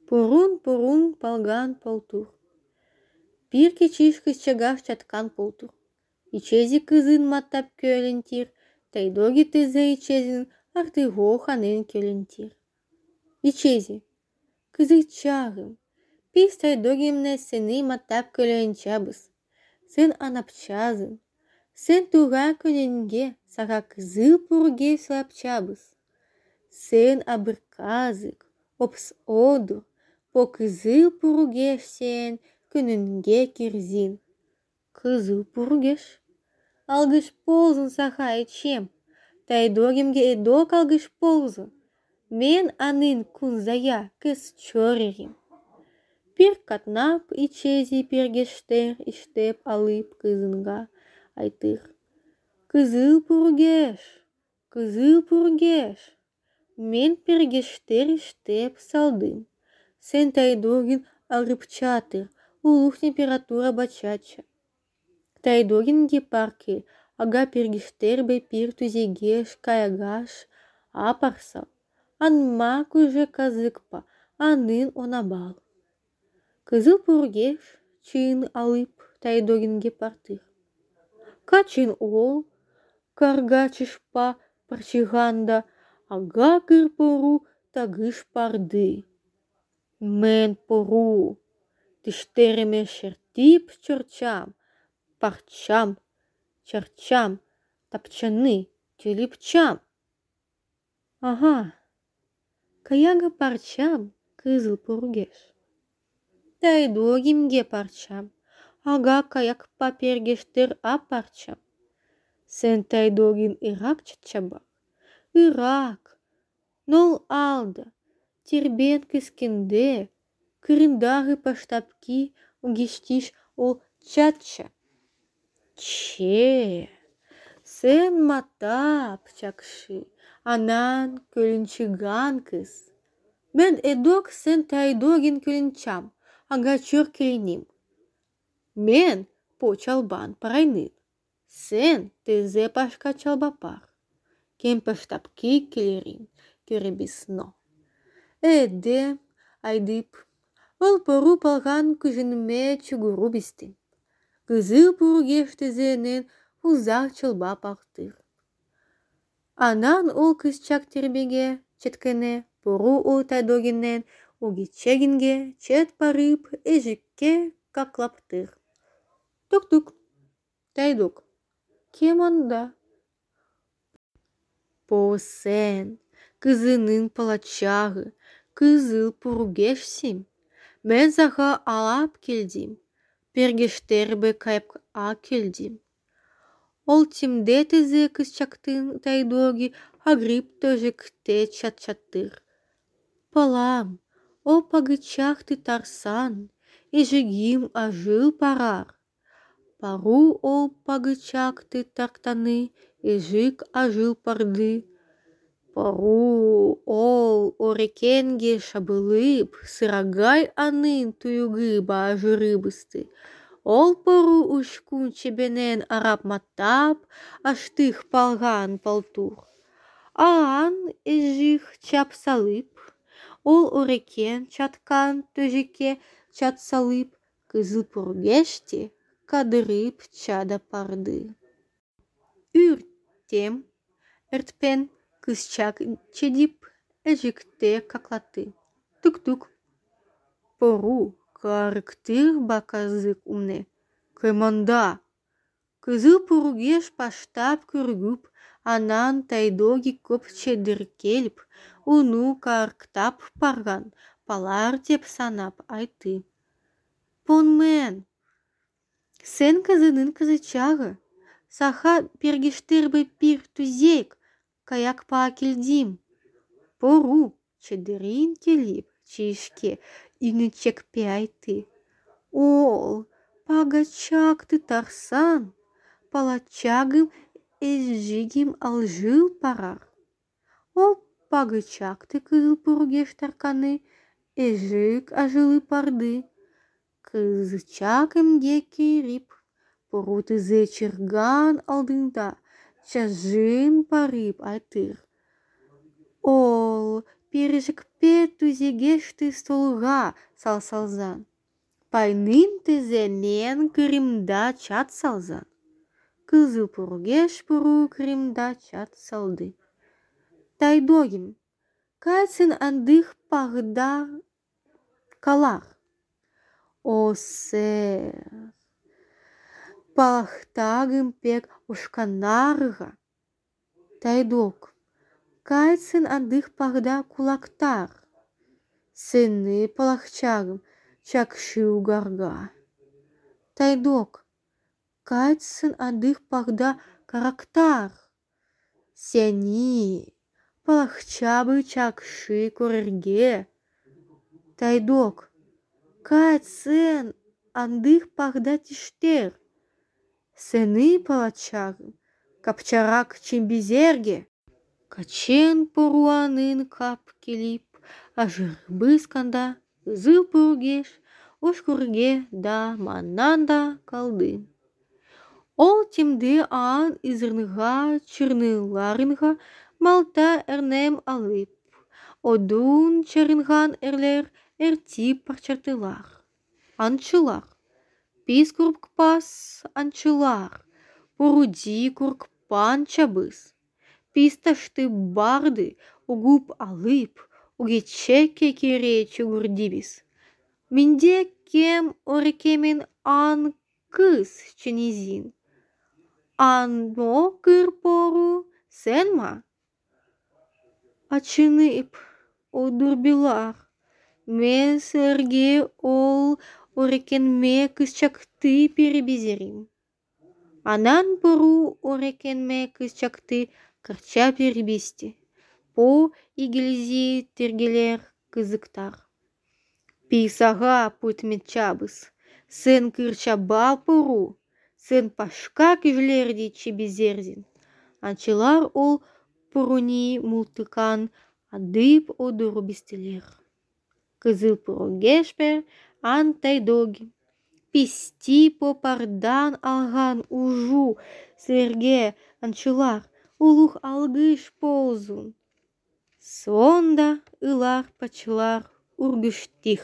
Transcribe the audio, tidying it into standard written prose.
Пурун полган полтур. Пир кичиш кызчагаш чаткан полтур. Ичези кызын маттап көлентир, тайдоги тызе ичезин артыго ханын көлентир. Ичези. Кызычагым. Пис тайдогимне сени маттап көлөнчабыз. Сен анапчазын. Сен туга көненге сага кызыл пурге сылапчабыз. Сен абырказык, опс одур, по кызыл пургеш сен күнүнге кирзин. Кызыл пургеш. Алгыш ползун саха ичем. Тайдогимге эдок алгыш ползун. Мен анын кунзая кыз чорерим. Пир катнап ичези пиргештер иштеп алып кызынга айтыр. Кызыл пургеш, кызыл пургеш. Мен пиргештер иштеп салдым. Сен тайдогин арыпчатыр, улух температура бачача. Тайдогинге парке, ага пиргештербе пир түзегеш каягаш, апарсал. Анма күжө казыкпа, анын онабал. Кызыл пургеш чын алып тайдогинге партыр. Качын ол, каргачышпа парчыганда, ага кыр пору тагыш парды. Мен пору, тиштериме шертип чорчам, парчам, чарчам, тапчаны, тюлипчам. Ага, каяга парчам, кызыл пургеш. Тайдогимге парчам, ага каякпа пергештер апарчам. Сен тайдогин Ирак чатчаба. Ирак, нол алда, тирбен кыскенде, кырындагы паштапки угиштиш ол чатча. Че, сен матап чакшы, анан көлүнчүган кыз. Мен эдок сен тайдогин көлүнчам, ага чор келиним. Мен по чалбан парайнын. Сен тызе пашка чалбапар. Кен паштапки келерин, көребисно. Эдем, айдып, ол пору палган күжүнүме чугуру бистим. Кызыл пургеш тезенен узак чалбап актыр. Анан ол кызчак тербеге четкене пору ол тайдогинен угичегинге чет парып эжикке каклаптыр. Тук-тук. Тайдог. Кем анда? По сен, кызынын палачагы, кызыл пургешсим. Мен сага алап келдим. Пергештербе кайып келдим. Ол тимде тызе кызчактын тайдоги агрып төжекте чат-чаттыр. Палам, о пагычакты тарсан, эжигим ажыл парар. Пару ол пагычакты тартаны, эжик ажыл парды. Пару ол орекенге шабылып, сырагай анын туюгы баажырыбысты. Ол пору ушкун чебенен арап маттап, аштых палган полтур. Аан эжих чап салып, ол орекен чаткан төжекке чат салып, кызыл пургешти кадырып чада парды. Үртем, эртпен кызчак чедип, эжикте каклаты. Тук-тук. Пору карыктыр баказык умне. Кайманда. Кызыл пургеш паштап көргүп, анан тайдоги көп чедиркелип, уну карктап парган, палар деп санап айты. Понмен. Сен кызынын кызычагы. Саха пергештербе пир түзек, каякпа келдим. Пору чедирин келип, чишке үйнүчекпе айты. Ол, пагачакты тарсан, палачагым эжигим алжыл парар. Ол пагычакты кызыл пургеш тарканы, эжик ажылы парды. Кызычак эмге кирип, пору тызе чырган алдында, чажын парып айтыр. Ол пережик Пе түзегешти столга салсалзан. Пайнын тезенен кырымда чат салзан. Кызыл пургеш пуру кырымда чат салды. Тайдогим, кайсын андых пагда калар. О, сэр, палахтагым пек ушканарга. Тайдог, кайсын андых пагда кулактар. Сыны палахчагым чакшы угарга. Тайдог, кайсын андых пагда карактар. Сени палахчабы чакшы көрерге. Тайдог, кайсын андых пагда тиштер. Сыны палачагым капчарак чимбизерге. Качен поруанын кап келип, ажырбысканда кызыл пургеш ошкурге да маннан да калды. Ол темде аан изырныга чырныларынга малта эрнем алып, одун чарынган эрлер эртип парчартылар. Анчылар, пис куркпас анчылар, поруди куркпан чабыз. Писташты барды угуп алып, угечеке кере чугурдибиз. Минде кем орекемен ан кыз ченизин. Ано кыр пору сен ма? Ачынып одурбилар. Мен силерге ол орекенме кызчакты перебезерим. Анан пору орекенме кызчакты кырча перебести. По игелизи тергелер кызыктар. Писага путметчабыз. Сен кырчаба пору. Сен пашка кижлерди чебезерзин. Анчылар ол поруни мултыкан адып одуру бистелер. Кызыл пургешпер ан тайдоги. Писти попардан алган ужу силерге анчылар улух алгыш ползун. Сонда ылар пачылар ургуштих.